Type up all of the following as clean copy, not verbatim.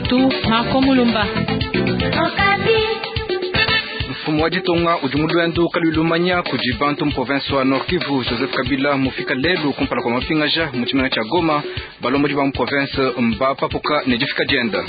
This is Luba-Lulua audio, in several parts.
wetu Marco Mulumba. Mfumu wa ditunga udi mu luendu kaluyi lumanya kudi bantu mu province wa Nord Kivu. Joseph Kabila mufika lelu kumpala kua mapingaja mu tshimenga tshia Goma. Balombodi ba mu province mbapapuka ne difika dienda.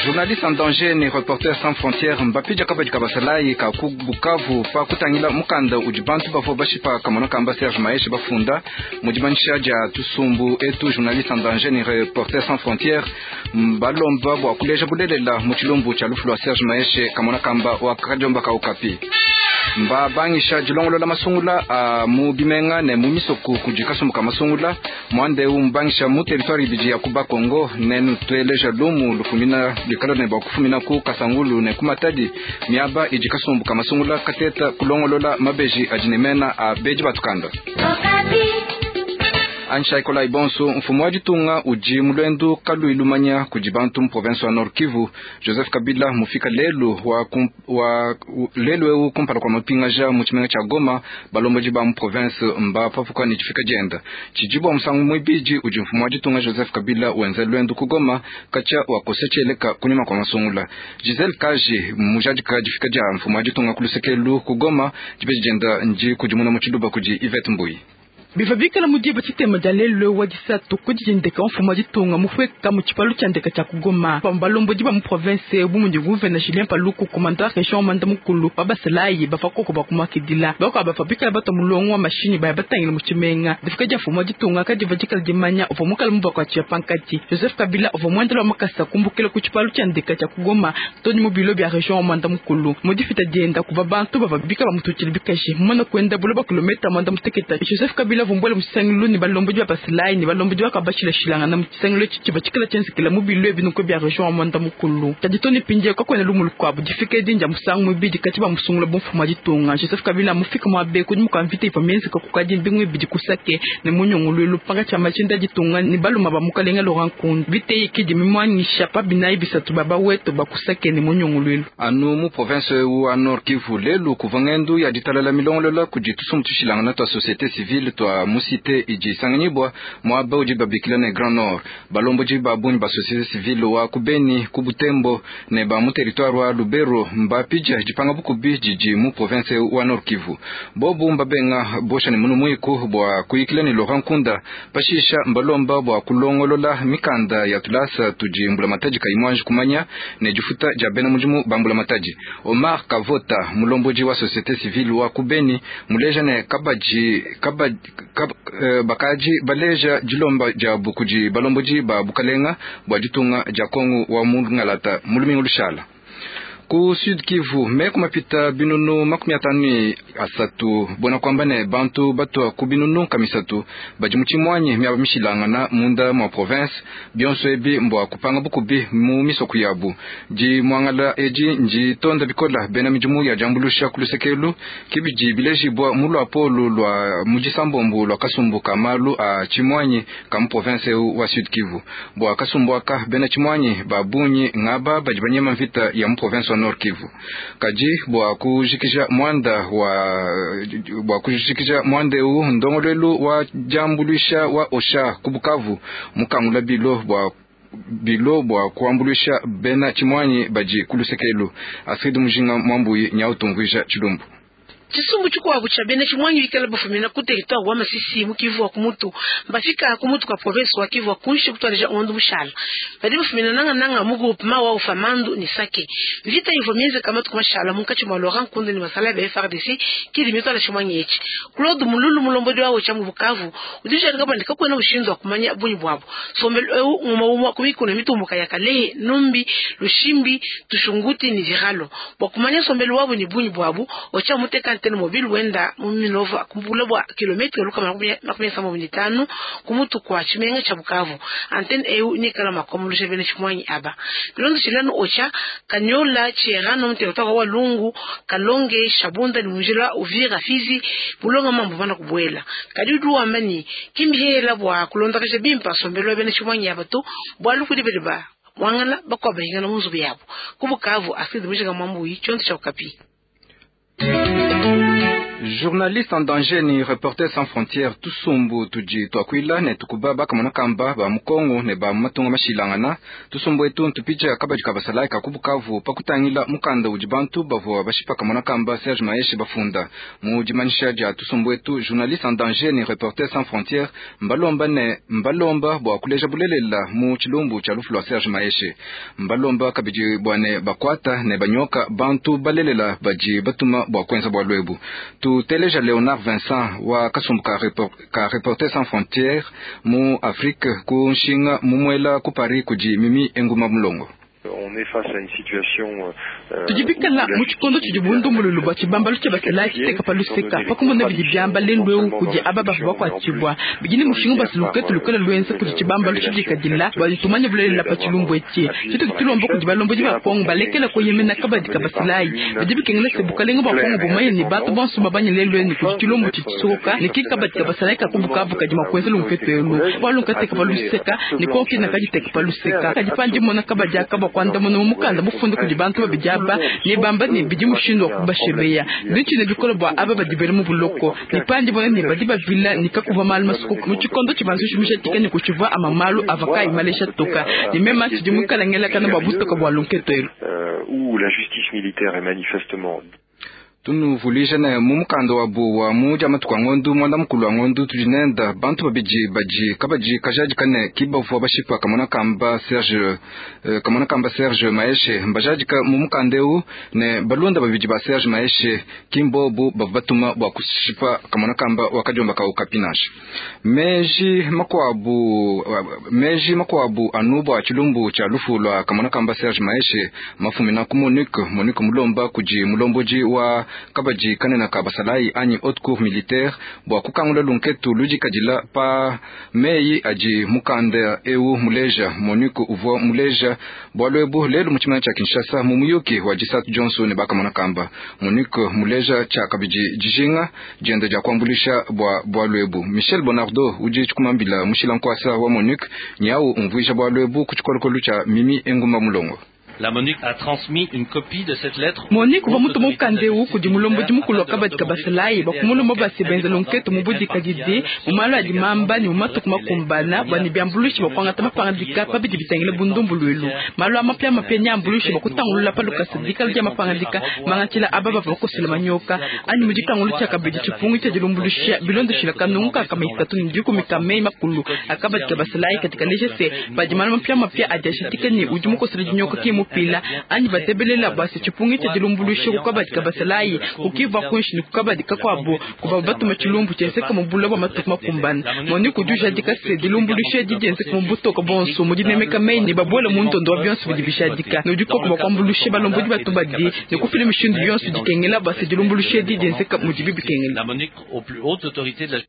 Journaliste en danger ne Reporters sans frontières mbapidia kabadi ka basalayi ka ku Bukavu pa kutangila mukanda udi bantu bavua bashipa kamona kamba Serge Maheshe bafunda mu dimanyisha dia tusumbu etu. Journaliste en danger ne Reporters sans frontières mbalomba bua kuleja bulelela mu tshilumbu tshia lufu lua Serge Maheshe kamona kamba wa kadiomba ka Okapi. Mbabangisha dilongolola masungula a mu bimenga ne mu misoko kudi kasumbu ka masungula. Muanda eu mubangisha mu territoire ibidi ya ku Bakongo. Nenutueleja lumu lufumina luikala ne bua kufumina ku Kasangulu ne ku Matadi, miaba idi kasumbu ka masungula kateta kulongolola mabeji adi ne mena a bedi batukanda. Ansha Ikolai bonso. Mfumu wa ditunga udi mu luendu kaluyi lumanya kudi bantu mu province wa Nord Kivu. Joseph Kabila mufika lelu wa, wa lelu eu kumpala kua mapingaja mu tshimenga tshia Goma. Balombodi ba mu province mbapapuka ne difika dienda. Tshidi bua musangu muibidi udi mfumu wa ditunga Joseph Kabila wenza luendu ku Goma katshia wakosa tshieleka kunyima kua masungula. Giselle Kaji mujadika difika dia mfumu wa ditunga ku lusekelu ku Goma. Dibeji dienda ndi kudimuna mu tshiluba kudi Yvette Mbuyi. Bivua bikala mu diba tshitema dia lelu wa disatu ku dijindeka mfumu wa ditunga mufueka mu tshipalu tshia ndeka tshia ku Goma pamue balombodi ba mu province bu mudi gouverneur Julien Paluku, commandant region Manda mukulu wa basalayi bavua koko bakumakidila. Bakuabu bavua bikala batua mulongo wa mashinyi baya batangila mu tshimenga. Difika dia mfumu wa ditunga kadivua dikala dimanya uvua mukala mubakuatshia pankatshi. Joseph Kabila uvua muendela wa makasa kumbukila ku tshipalu tshia ndeka tshia ku Goma too ne mu bilo bia region wa Manda mukulu. Mu difita dienda kuvua bantu bavua bikala bamututshila bikaji. Mumana kuenda bule bua kilometa 90, Joseph Kabila vumbuela mu tshisangilu ne balombodi ba basalayi ne balombodi bakabashilashilangana mu tshisangilu etshi tshivua tshikala tshienzekela mu bilo ebi bia region wa Mwanda Mukulu. Kadi too ne mpindieu kakuena lumu lukuabu. Difika edi ndia musangu muibidi katshia bamusungula bu mfumu wa ditunga. Joseph Kabila mufika muaba eu kunyima kua mvita ivua mienzeka kukadi mbingu ibidi ku Sake ne mu nyunguluilu pankatshi pa majinda a ditunga ne baluma ba mukalenga Laurent Nkunda. Mvita eyi ki idi mimuanyisha pa binayi bisatu ba bawetu ba ku Sake ne mu nyunguluilu. Anu mu province wa Nord Kivu lelu kuvua ngendu ya ditalala milongolola kudi tusumbu tushilangana tua société civile tua mu cité idi isanganyibua muaba udi babikila ne Grand Nord. Balombodi ba bungi ba société civile wa ku Beni, ku Butembo ne ba mu territoire wa Lubero mbapidia dipanga bukubi didi mu province wa Nord Kivu. Bobu mbabenga bosha ne munu muiku bua kuyikila ne Laurent Nkunda. Pashisha mbalomba bua kulongolola mikanda ya tulasa tudi mbulamatadi kayi muanji kumanya ne difuta dia bena mudimu ba mbulamatadi. Omar Kavota, mulombodi wa société civile wa ku Beni, muleja ne kabadi, kabadi, kab, bakadi baleja dilomba diabu kudi balombodi ba bukalenga bua ditunga dia Kongo wa mungalata mu lumingu lushala. Ku Sud Kivu meku mapita binunu 53, buena kuamba ne bantu batua ku binunu 300 badi mu tshimuanyi miaba mishilangana munda mua province. Bionso ebi mbua kupanga bukubi mu misoko yabu. Dimuangala edi nditonda bikola bena midimu ya diambulusha ku lusekelu kibidi bilejibua mu luapolu lua mu disambombo lua kasumbu ka malu a tshimuanyi ka mu province eu wa Sud Kivu. Bua kasumbu aka, bena tshimuanyi ba bungi ngaba badi banyema mvita ya mu province wa Nord Kivu. Kadi bua kujikija muanda wa bua kujikija muanda eu, ndongoluelu wa diambuluisha wa OCHA ku Bukavu mukangula bilo bua kuambuluisha bena tshimuanyi badi ku lusekelu. Astrid Mujinga Mwambuyi nyautumvuija tshilumbu. Tshisumbu tshikuabu tshia bena tshimuanyi bikala bafumina ku territoire wa Masisi mu Kivu wa kumutu mbafika ku mutu kwa province wa Kivu wa kunshi kutualeja ngondo mushala. Badi bafumina nanga nanga mu groupement wa Ufamandu ni Sake. Mvita ivua mienzeka matuku mashala munkatshi mua Laurent Nkunda ne basalayi ba FARDC kidi mituala tshimuanyi etshi. Claude Mululu, mulombodi wa OCHA mu Bukavu, udi ujadika bua ne kakuena mushindu wa kumanya bungi buabu. Nsombelu eu ngumue umue ku mikuna mitumbuka ya Kalehe, Numbi, Lushimbi, Tushunguti ne Ziralo. Bua kumanya nsombelu wabu ne bungi buabu, OCHA muteka antenne mobile wenda mu Minova ku bule bua kilometre 175 ku mutu kua tshimenga tshia Bukavu. Antenne eu nikala mua kuambuluisha bena tshimuanyi aba. Bilondeshilanu OCHA, Kanyola, Tshiherano mu territoire wa Walungu, Kalonge, Shabunda ne mu njila Uvira, Fizi, bulonga mambu mana kubuela. Kadi udi wamba ne ki mbihela bua kulondakaja bimpe nsombelu wa bena tshimuanyi aba to, bualu kudi badi ba muangala bakuabu bahingana mu nzubu yabu. Ku Bukavu, Astrid Mujinga Mwambuyi, tshiondo tshia Okapi. Journaliste en danger ni Reporters sans frontières tusumbu tudi tuakuila ne tukuba bakamona kamba ba mu Kongo ne ba mu matunga mashilangana. Tusumbu etu ntupija kabadi ka basalayi ka ku Bukavu pa kutangila mukanda udi bantu bavua bashipa kamona kamba Serge Maheshe bafunda. Mu dimanyisha dia tusumbu etu, Journaliste en danger ni Reporters sans frontières mbalomba ne mbalomba bua kuleja bulelela mu tshilumbu tshia lufu lua Serge Maheshe. Mbalomba kabidi bua ne bakuata ne banyoka bantu balelela badi batuma bua kuenza bualu ebu. Tuteleja Leonard Vincent wa kasumbu ka, repor, ka Reporters sans frontières mu Afrique ku nshinga mumuela ku Paris kudi Mimi Enguma Mulongo. Tudi bikala mu tshikondo tshidi bundumbululu bua tshibambalu tshia basalayi tshiteka pa luseka pa kumona bidi biamba lelu eu kudi aba bavua bakuatshibua. Bidi ne mushinga bua se luketu lukole luenza kudi tshibambalu tshidikadila bua tumanye bulelela pa tshilumbu etshi. Tshitudi tulomba kudi balombodi ba Kongo balekela kueyemena kabadi ka basalayi. Bidi bikengela se bukalenga bua Kongo bumanye ne bantu bonso babanye lelu enu kudi tshilumbu tshidi tshisokoka ne ki kabadi ka basalayi ka ku Bukavu kadi mua kuenza lunketu elu. Bualu nkateka pa luseka ne Kongo kena kaditeka pa luseka. Kadi pandi mmona kabadi aka bua kuandamuna mu mukanda mufunda kudi bantu babidi aba ne bamba ne bidi mushindu wa kubashebeya. Ndi ntshina bikole bua aba badi bela mu buloko ne pandi bona ne badi bavila ne kakuvua malu masukuka mu tshikondo tshivua nzuji mujadike ne kutshivua ama malu avua kayi malesha toka ne mema ntshidi muikale ngelakana bua butoka bua lunketu elu. Où la justice militaire est manifestement Tunuvuluija ne mu mukanda wabu wa mu dia matuku a ngondu muanda mukulu wa ngondu tudi nenda bantu babidi badi kabadi kajadika ne ki bavua bashipa kamona kamba Serge kamona kamba Serge Maheshe. Mbajadika mu mukanda eu ne balunda babidi ba Serge Maheshe ki mbobu bavua batuma bua kushipa kamona kamba wa kadiomba ka Okapi nansha. Meji makuabu meji makuabu anu bua tshilumbu tshia lufu lua kamona kamba Serge Maheshe mafumina ku MONUC. MONUC mulomba kudi mulombodi wa kabadi kanene ka basalayi anyi haute cour militaire bua kukangula lunketu ludikadila pa meyi adi mukanda eu muleja. MONUC uvua muleja bualu ebu lelu mu tshimenga tshia Kinshasa mu muyuki wa disatu dionso ne bakamona kamba. MONUC muleja tshia kabidi dijinga diende dia kuambuluisha bua bualu ebu. Michel Bonardo udi tshikumambila mushila nkuasa wa MONUC nyau umvuija bualu ebu ku tshikolokolo tshia Mimi Engumba Mulongo. La MONUC a transmis une copie de cette lettre. MONUC uvua mutuma mukanda eu kudi mulombodi mukulu wa kabadi ka basalayi bua kumulomba bua se benza lunketu mu budikadidi mu malu adi mamba ne mu matuku makumbana bua ne biambuluishi bua kuangata mapangadika pa bidi bitangila bundumbuluilu. Malu a mapiamapia neambuluishe bua kutangulula pa lukasa dikala dia mapangadika mangatshila aba bavua bakosela manyoka anyi mu dikangulu tshia kabidi tshipungu tshia dilumbuluisha bilondeshila kanungu ka nkama isatu ne dikumi ka meyi makulu a kabadi ka basalayi kadi kaleja se padi malu mapiamapia adi ashadika ne udi mukosela dinyoka ki mupila anyi batebelela bua se tshipungu tshia dilumbuluisha ku kabadi ka basalayi kukiva kuinshi ne ku kabadi kakuabu kuvua batuma tshilumbu tshienzeka mu bula bua matuku makumbana. MONUC udi ujadika se dilumbuluisha edi dienzeka mu butoka bonso mu dinemeka meyi ne babuela mu ndondo wa bionso bidi bijadika ne udi koku bua kuambuluisha balombodi ba tubadi ne kufila mishindu yonso dikengela bua se dilumbuluisha edi dienzeka mudibi bikengela. La MONUC aux plus hautes autorités de la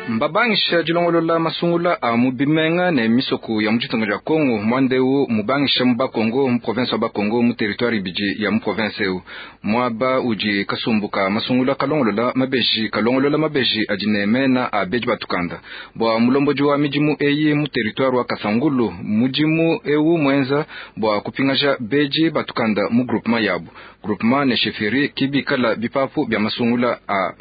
Mbabangisha dilongolola masungula a mu bimenga ne misoko ya mu ditunga dia Kongo muanda eu mubangisha mu Bakongo mu province wa Bakongo mu territoire ibidi ya mu province eu muaba udi kasumbu ka masungula kalongolola mabeji kalongolola mabeji adi ne mena a bedi batukanda bua mulombodi wa midimu eyi mu territoire wa Kasangulu mudimu eu muenza bua kupingaja bedi batukanda mu groupement yabu groupement ne chefferie kibikala bipapu bia masungula a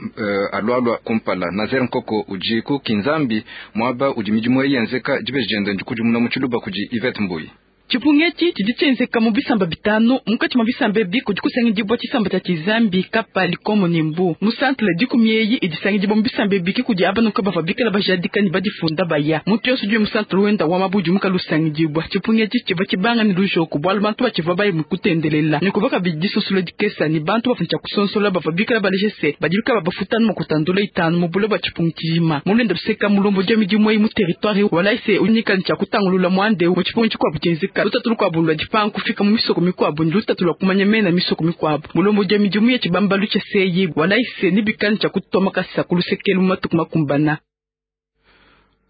alualua kumpala. Nazer Nkoko udi ku Kinzambi muaba udi midimu eyi yenzeka dibeji diende ndikudimuna mu tshiluba kudi Yvette Mbuyi. Tshipungu etshi tshidi tshienzeka mu bisamba bitanu. Munkatshi mua bisamba ebi kudi kusangidibua tshisamba tshia Tshizambi, Kapa, Likomo ne Mbu. Mu centre dikumi eyi idi isangidibua mu bisamba ebi ki kudi aba nuka bavua bikala bajadika ne badifunda baya. Muntu yonso udi mu centre wenda wa mabu udi mukala usangidibua. Tshipungu etshi tshivua tshibanga ne lujoko bualu bantu batshivua baye mu kutendelela ne kuvua kabidi disonsola dikesa ne bantu bavua tshia kusonsola bavua bikala baleje se badi bikala bafuta anu makutandula itanu mu bula bua tshipungu tshijima. Mu luenda luseka mulombodi wa midimu eyi mu territoire walayi se unyika ne tshia kutangulula muanda eu mu tshipungu tshikuabu tshienzeka. Lutatu lukuabu lua dipanga kufika mu misoko mikuabu ne lutatu lua kumanya mena misoko mikuabu. Mulombodi wa midimu ya tshibambalu tshia seyi walayi se ne bikala tshia kutoma kasa ku lusekelu mu matuku makumbana.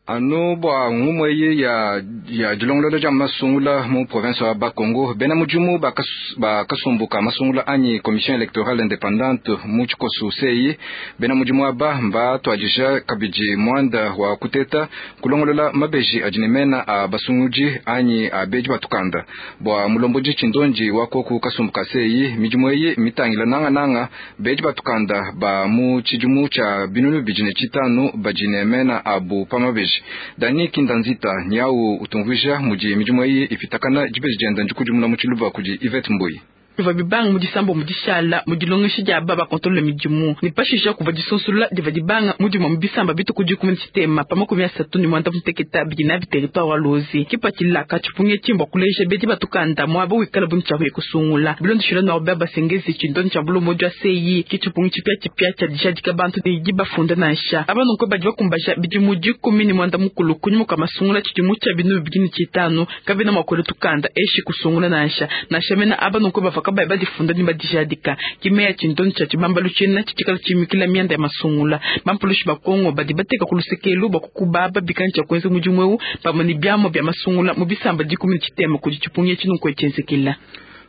Anu bua ngumu eyi ya, ya dilongolola dia masungula mu province wa Bakongo, bena mudimu ba kasumbu ka masungula anyi commission électorale indépendante mu tshikosu CEI, bena mudimu aba mbatuadija kabidi muanda wa kuteta kulongolola mabeji adi ne mena a basungudi anyi a bedi batukanda. Bua mulombodi tshindondi wa koku kasumbu ka CEI, midimu eyi mitangila nangananga bedi batukanda ba mu tshidimu tshia 2005 badi ne mena abu pa mabeji. Dani Kindanzita nyau utumvuija mudi midimu eyi ipitakana dibeji dienda ndikudimuna mu tshiluba kudi Yvette Mbuyi. Bivua bibanga mu disambo mu dishala mu dilongesha dia aba bakontolola midimu ne pashisha kuvua disonsolola divua dibanga mudimu mu bisamba bituku 13 pa 36 bidi nabi territoire wa Luozi. Kipatshila ka tshipungi etshi mbua kuleja bedi batukanda muaba wikala bu ntshiaku ya kusungula. Bilondeshile Norbert Basengezi tshindonyi tshia bulombodi wa CEI ke tshipungi tshipiatshipia tshia dijadika bantu ne dibafunda nansha. Aba nunku badi bakumbaja bidimu 15 kunyima kua masungula tshidimu tshia 2005 kabena mua kuela tukanda eshi kusungula nansha. Nansha mena aba nunku bavua kabayi badifunda ne badijadika. Kimeya tshindonyi tshia tshibambalu tshiena tshitshikala tshimikila mianda ya masungula. Bampulushi ba Kongo badi bateka ku lusekelu bua kukuba babikani tshia kuenza mudimu eu pamue ne biamua bia masungula mu bisamba 13 kudi tshipungi etshi nunku tshienzekela.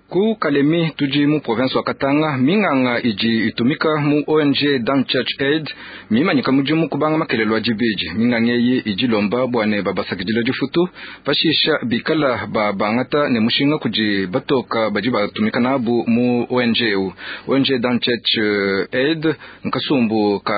Ku Kalemi tudi mu province wa Katanga, minganga idi itumika mu ONG Dan Church Aid mimanyika mudimu kubanga makelelo a dibidi. Minganga eyi idi lomba bua ne babasakidila difutu pashisha bikala babangata ne mushinga kudi batoka badi batumika nabu mu ONG eu. ONG Dan Church Aid nkasumbu ka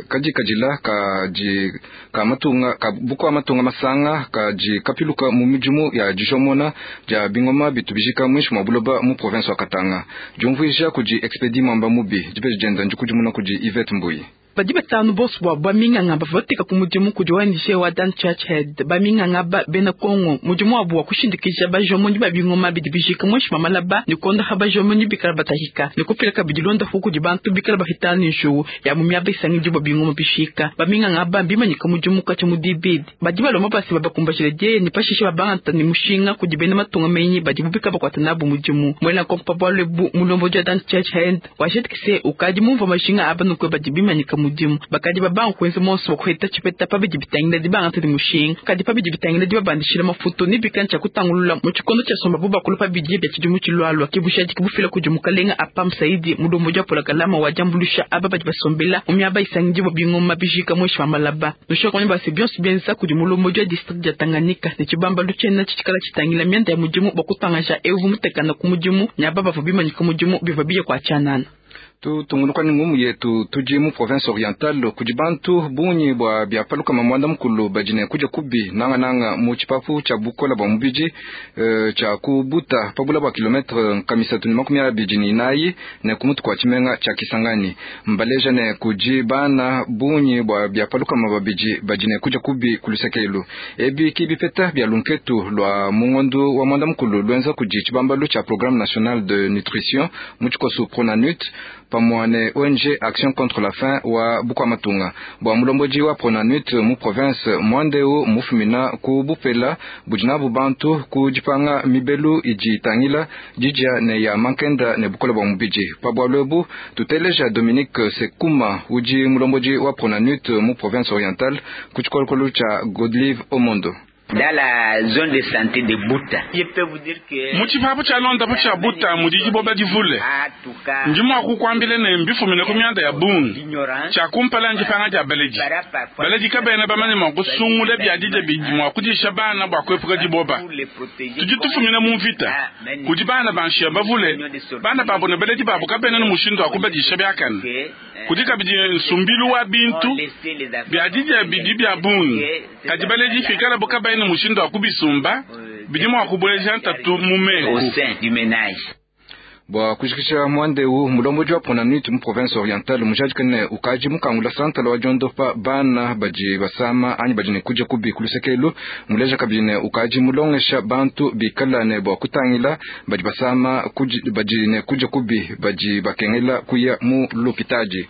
kadikadila kadi ka matunga ka bukua matunga masanga kadi kapiluka mu midimu ya dijomona dia bingoma bitu bijika mwinshi mwa buloba mu province wa Katanga. Diumvuija kudi Expedi Mwamba Mubi, dibeji dienda ndikudimuna kudi Yvette Mbuyi. Badi batanu bonso bua baminganga bavua bateka ku mudimu kudi ONG wa Dan Church Head. Baminganga ba bena Kongo mudimu wabu wa kushindikija bajomonyi ba bingoma bidi bijika mwinshi mwa malaba ne kondaha bajomonyi bikala batahika ne kufila kabidi londapu kudi bantu bikala bahitana ne njuwu ya mu miaba isangidibua bingoma bishika. Baminganga ba mbimanyika mudimu katshi mu dibidi badi balomba basi babakumbajile dieye ne pashishe babangata ne mushinga kudi bena matunga menyi badi bubika bakuata nabu mudimu. Mwela nkonko pa bualu ebu mulombodi wa Dan Church Head washetikise ukadi mumvua majinga aba nukwe badi bimanyika mudimu. Bakadi babanga kuenza monso wa kuheta tshipeta pa bidi bitangila dibangata ne mushinga kadi pa bidi bitangila dibabandishila mafutu ne bikani tshia kutangulula mu tshikondo tshia somba bu bakulu pa bidi bia tshidimu tshilualua. Kibushadiki bufila kudi mukalenga Apam Saidi mulombodi wa polakalama wa diambuluisha aba badi basombela mu miaba isangidibua bingoma bijika mwinshi mwa malaba. Nushokonyi base bionso bienza kudi mulombodi wa district dia Tanganyika ne tshibambalu tshiena tshitshikala tshitangila mianda ya mudimu bua kutangaja evu mutekana ku mudimu ne aba bavua bimanyika mudimu bivua biye kua tshianana. Tutungunuka ne ngumu yetu tudi mu province orientale kudi bantu bungi bua biapaluka mamwanda mukulu badi ne kudia kubi nangananga mu tshipapu tshia bukola bua mubidi tshia kubuta pabula bua kilometre nkamisatu ne 24 ne kumutu kua tshimenga tshia Kisangani. Mbaleja ne kudi bana bungi bua biapaluka mababidi badi ne kudia kubi kulusekelu. Ebi kibipeta bia lunketu lua mungondu wa mwanda mukulu lwenza kudi tshibambalu tshia programme national de nutrition mu tshikosu Pronanut pamue ne ONG Action contre la faim wa bukua matunga. Bua mulombodi wa Pronanut mu province Mwandeu mufumina ku bupela budi nabu bantu ku dipanga mibelu idi itangila didia ne ya mankenda ne bukola bua mubidi. Pa bualu ebu tuteleja Dominique Sekuma udi mulombodi wa Pronanut mu province orientale ku tshikolokolo tshia Godlive Omondo. Dans la zone de santé de Buta. Mu tshipapu tshia londapu tshia Buta mudi diboba divule. Ndi mua kukuambila ne mbifumine ku mianda ya bungi. Tshia kumpala ndipanga dia baledi. Baledi kabena bamanye mua kusungula biadidia bidi mua kudisha bana bua kuepuka diboba. Tudi tufumina mu mvita. Kudi bana ba nshiya bavule, bana babo ne baledi babo kabena ne mushindu wa kubadisha biakane. Kudi kabidi nsumbilu wa bintu biadidia bidi bia bungi. Kadi baledi fikalabo kabayi ne mushindu wa kubisumba bidi mua kubueja ntatu mu meku. Bua kujikisha mwandeu mulombodi wa Pronanut mu province orientale mujadika ne ukaji mukangula santala wa diondopa bana badi basama anyi badi ne kudia kubi kulusekelu. Muleja kabidi ne ukaji mulongesha bantu bikala ne bua kutangila badi basama badi ne kudia kubi badi bakengela kuya mu lopitadi.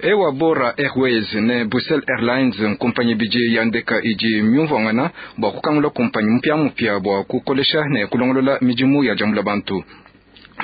Ewa Bora Airways ne Brussels Airlines nkumpanyi bidi ya ndeka idi myumvuangana bua kukangula kumpanyi mupia mupia bua kukolesha ne kulongolola midimu ya diambula bantu.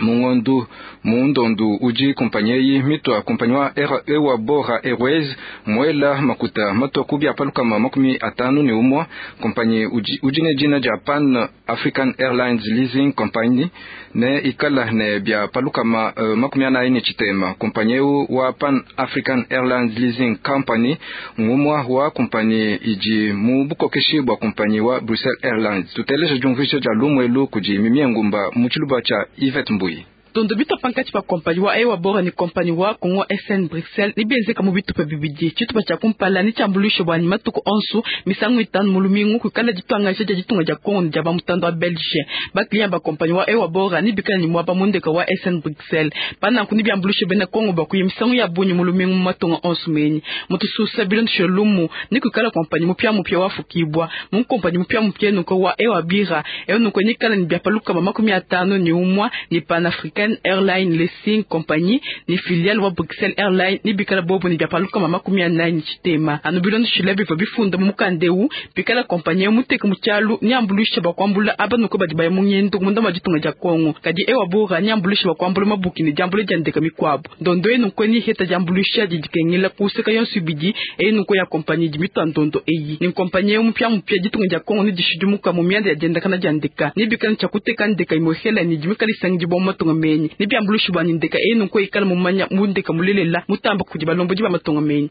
Mu ngondu mu ndondu udi kumpanyi eyi mitua kumpanyi wa Ewa Bora Airways muela makuta matua ku bia pa 51. Kumpanyi udi, udi ne dina dia Pan African Airlines Leasing Company ne ikala ne bia pa 46. Kumpanyi eu wa Pan African Airlines Leasing Company ngumua wa kumpanyi idi mu bukokeshi bua kumpanyi wa Brussels Airlines. Tuteleje diumvuija dia lumu elu kudi Mimie Ngumba mu tshiluba tshia Yvette Mbuyi. Ndondo bitua pankatshi pa kompanyi wa Ewa Bora ne kompanyi wa Congo SN Bruxelles ne bienzeka mu bitupa bibidi. Tshitupa tshia kumpala ne tshiambuluishe bua ne matuku onso misangu itanu mu lumingu kuikala dituangaja dia ditunga dia Congo ne dia ba mutanda wa Belge. Ba client ba kompanyi wa Ewa Bora ne bikala ne muaba mu ndeka wa SN Bruxelles. Pa nanku ne biambuluishe bena Congo bua kuya misangu ya bungi mu lumingu mu matunga onso menyi. Mu tususa bilondeshile lumu ne kuikala kompanyi mupiamupia wafukibua mu kompanyi mupiamupia nunku wa Ewa Bira eu nunku nikala ne bia pa 51 ne Pan African Airline Leasing Company ni filiale wa Bruxelles Airline ni bikala bobo ni bia pa 40. Anu bilondeshile bivua bifunda mu mukanda eu, bikala kompanyi eu muteke mu tshialu ni ambuluisha bua kuambula aba nuko badi baya mu ngendo munda mua ditunga dia Congo. Kadi Ewa Bora ni ambuluisha bua kuambula mabuki ne diambula dia ndeka mikuabu. Ndondo eyi nunku ni iheta diambuluisha didi dikengela kuseka yonso ibidi eyi nunku ya kompanyi idi mitua ndondo eyi. Ni kompanyi eu mupiamupia ditunga dia Congo ni dishidimuka mu mianda ya diendakana dia ndeka. Ni bikala tshia kuteka ndeka imwehela ni idi mikala isangidibua mu matunga menyi. Ni biambuluishi bua ne ndeka eyi nunku ikala mumanya mu ndeka mulelela mutamba kudi balombodi ba matunga menyi.